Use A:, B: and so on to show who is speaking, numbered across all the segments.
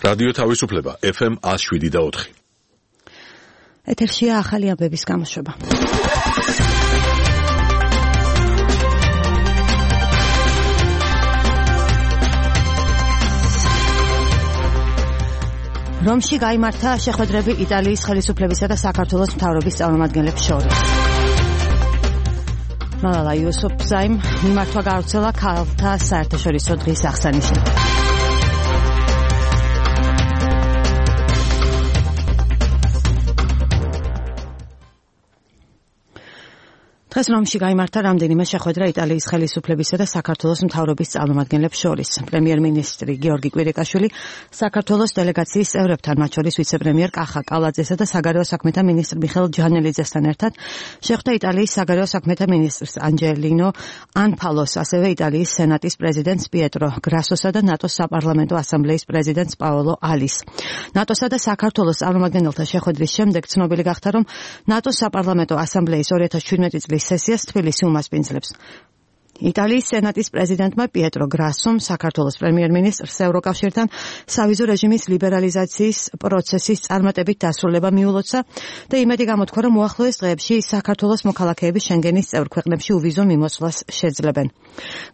A: რადიო თავისუფლება FM 107.4.
B: ეთერშია ახალი ამბების გამოშვება. რომში გაიმართა შეხვედრები იტალიის ხელისუფლებისა და საქართველოს მთავრობის წარმომადგენლებს შორის. მალალა იუსუფზაიმ მიმართვა გავრცელა ქალთა საერთაშორისო დღის აღსანიშნავად. დღეს რომში გაიმართა რამდენიმე შეხვედრა იტალიის ხელისუფლებისა და საქართველოს მთავრობის წარმომადგენლებს შორის. პრემიერ-მინისტრი გიორგი კვირიკაშვილი საქართველოს დელეგაციის წევრებთან, მათ შორის ვიცე-პრემიერ კახა კალაძესა და საგარეო საქმეთა მინისტრ მიხეილ ჯანელიძესთან ერთად შეხვდა იტალიის საგარეო საქმეთა მინისტრს ანჯელინო ანფალოს, ასევე იტალიის სენატის პრეზიდენტს პიეტრო გრასოსა და ნატოს საპარლამენტო ასამბლეის პრეზიდენტს პაოლო ალის. ნატოსა და საქართველოს წარმომადგენელთა შეხვედრის შემდეგ ცნობილი გახდა, რომ ნატოს საპარლამენტო ასამბლეის 2017 წლის სესიას თბილისი უმასპინძლებს. იტალიის სენატის პრეზიდენტმა პიეტრო გრასომ საქართველოს პრემიერ-მინისტრს ევროკავშირთან სავიზო რეჟიმის ლიბერალიზაციის პროცესის წარმატებით დასრულება მიულოცა და იმედი გამოთქვა, რომ უახლოეს დღეებში საქართველოს მოქალაქეები შენგენის წევრ ქვეყნებში უვიზო მიმოცვლას შეძლებენ.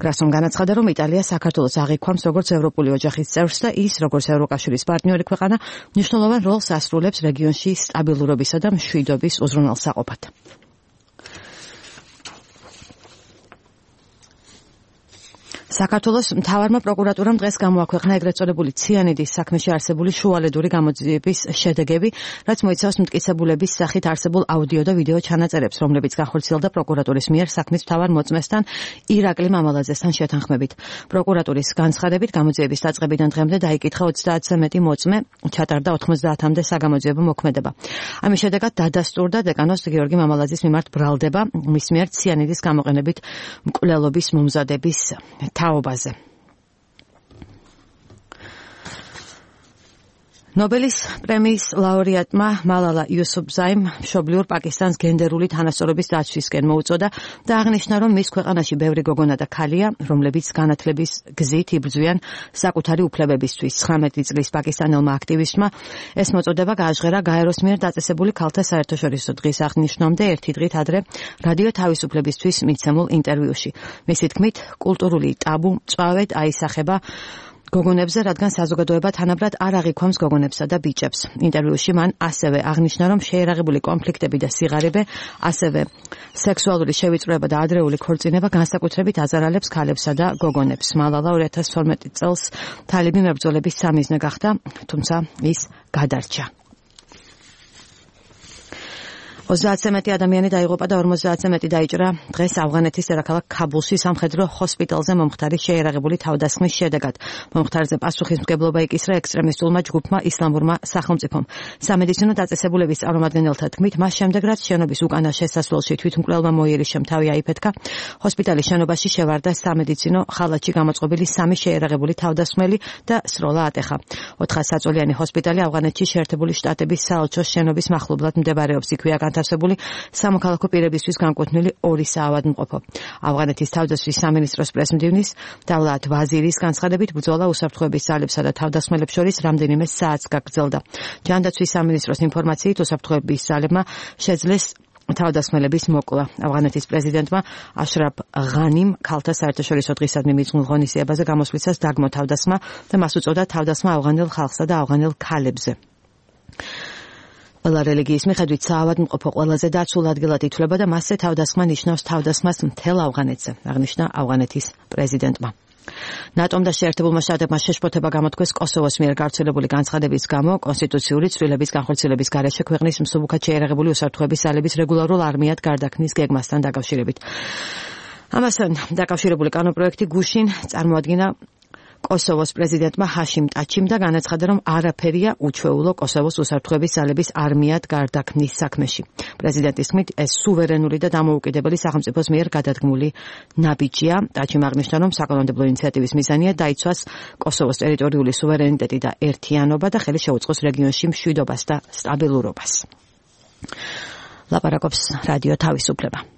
B: გრასომ განაცხადა, რომ იტალია საქართველოს აღიქვამს როგორც ევროპული ოჯახის წევრს და ის, როგორც ევროკავშირის პარტნიორი ქვეყანა, მნიშვნელოვან როლს ასრულებს რეგიონში სტაბილურობისა და მშვიდობის უზრუნველსაყოფად. საქართველოს მთავარმა პროკურატურამ დღეს გამოაქვეყნა ეგრეთ წოდებული ციანიდის საქმეში არსებული შუალედური გამოძიების შედეგები, რაც მოიცავს მტკიცებულების სახით არსებულ აუდიო და ვიდეო ჩანაწერებს, რომლებიც განხორციელდა პროკურატურის მიერ საქმის მთავარ მოწმესთან ირაკლი მამალაძესთან შეთანხმებით. პროკურატურის განცხადებით, გამოძიების დაწყებიდან დღემდე დაიკითხა 30-ზე მეტი მოწმე, ჩატარდა 90-მდე საგამოძიებო მოქმედება. ამის შედეგად დადასტურდა დეკანოს გიორგი მამალაძის მიმართ ბრალდება მის მიერ ციანიდის გამოყენებით მკვლელობის მომზადების თაობაზე. ნობელის პრემიის ლაურეატმა მალალა იუსუფზაიმ მშობლიურ პაკისტანს გენდერული თანასწორობის დაცვისკენ მოუწოდა და აღნიშნა, რომ მის ქვეყანაში ბევრი გოგონა და ქალია, რომლებიც განათლების გზით იბრძვიან საკუთარი უფლებებისთვის. 19 წლის პაკისტანელმა აქტივისტმა ეს მოწოდება გააჟღერა გაეროს მიერ დაწესებული ქალთა საერთაშორისო დღის აღნიშვნამდე ერთი დღით ადრე რადიო თავისუფლებისთვის მიცემულ ინტერვიუში. მისი თქმით, კულტურული ტაბუ მწვავედ აისახება გოგონებზე, რადგან საზოგადოება თანაბრად არ აღიქვამს გოგონებსა და ბიჭებს. ინტერვიუში მან ასევე აღნიშნა, რომ შეერაღებული კონფლიქტები და სიღარიბე, ასევე სექსუალური შევიწროება და ადრეული ქორწინება განსაკუთრებით აზარალებს ქალებსა და გოგონებს. მალალა 2012 წელს თალიბი მებრძოლების სამიზნე გახდა, თუმცა ის გადარჩა. 30-ზე მეტი ადამიანი დაიღუპა და 50-ზე მეტი დაიჭრა დღეს ავღანეთის დედაქალაქ ქაბულში სამხედრო ჰოსპიტალზე მომხდარი შეერაღებული თავდასხმის შედეგად. მომხდარზე პასუხისმგებლობა იკისრა ექსტრემისტულმა ჯგუფმა ისლამურმა სახელმწიფომ. სამედიცინო დაწესებულების წარმომადგენელთა თქმით, მას შემდეგ რაც შენობის უკანა შესასვლელში თვითმკვლელმა მოიერიშემ თავი აიფეთქა, ჰოსპიტალის შენობაში შევარდა სამედიცინო ხალათში გამოწყობილი 3 შეერაღებული თავდასხმელი და სროლა ატეხა. 400 საწოლიანი ჰოსპიტალი ავღანეთში შეერთებული შტატების საელჩოს შენობის მახლობლად მდებარეობს. იქვეა განთავსებული სამოქალაქო პირებისთვის განკუთვნილი 2 საავადმყოფო. ავღანეთის თავდაცვის სამინისტროს პრესმდივნის დავლათ ვაზირის განცხადებით, ბრძოლა უსაფრთხოების ძალებსა და თავდასხმელებს შორის რამდენიმე საათს გაგრძელდა. ჯანდაცვის სამინისტროს ინფორმაციით, უსაფრთხოების ძალებმა შეძლეს თავდასხმელების მოკლა. ავღანეთის პრეზიდენტმა აშრაფ ღანიმ ქალთა საერთაშორისო დღისადმი მიძღვნილ ღონისძიებაზე გამოსვლისას დაგმო თავდასხმა და მას უწოდა თავდასხმა ავღანელ ხალხსა და ავღანელ ქალებზე. ყველა რელიგიის მიხედვით საავადმყოფო ყველაზე დაცულ ადგილად ითვლება და მასზე თავდასხმა ნიშნავს თავდასხმას მთელ ავღანეთზე, აღნიშნა ავღანეთის პრეზიდენტმა. ნატომ და შეერთებულმა შტატებმა შეშფოთება გამოთქვეს კოსოვოს მიერ გავრცელებული განცხადების გამო კონსტიტუციური ცვლილების განხორციელების გარეშე ქვეყნის მსუბუქად შეერაღებული უსაფრთხოების ძალების რეგულარულ არმიად გარდაქმნის გეგმასთან დაკავშირებით. ამასთან დაკავშირებული კანონპროექტი გუშინ წარმოადგინა კოსოვოს პრეზიდენტმა ჰაშიმ ტაჩიმ და განაცხადა, რომ არაფერია უჩვეულო კოსოვოს უსაფრთხოების ძალების არმიად გარდაქმნის საქმეში. პრეზიდენტის თქმით, ეს სუვერენული და დამოუკიდებელი სახელმწიფოს მიერ გადადგმული ნაბიჯია. ტაჩიმ აღნიშნა, რომ საკანონმდებლო ინიციატივის მიზანია დაიცვას კოსოვოს ტერიტორიული სუვერენიტეტი და ერთიანობა და ხელი შეუწყოს რეგიონში მშვიდობას და სტაბილურობას. ლაპარაკობს რადიო თავისუფლება.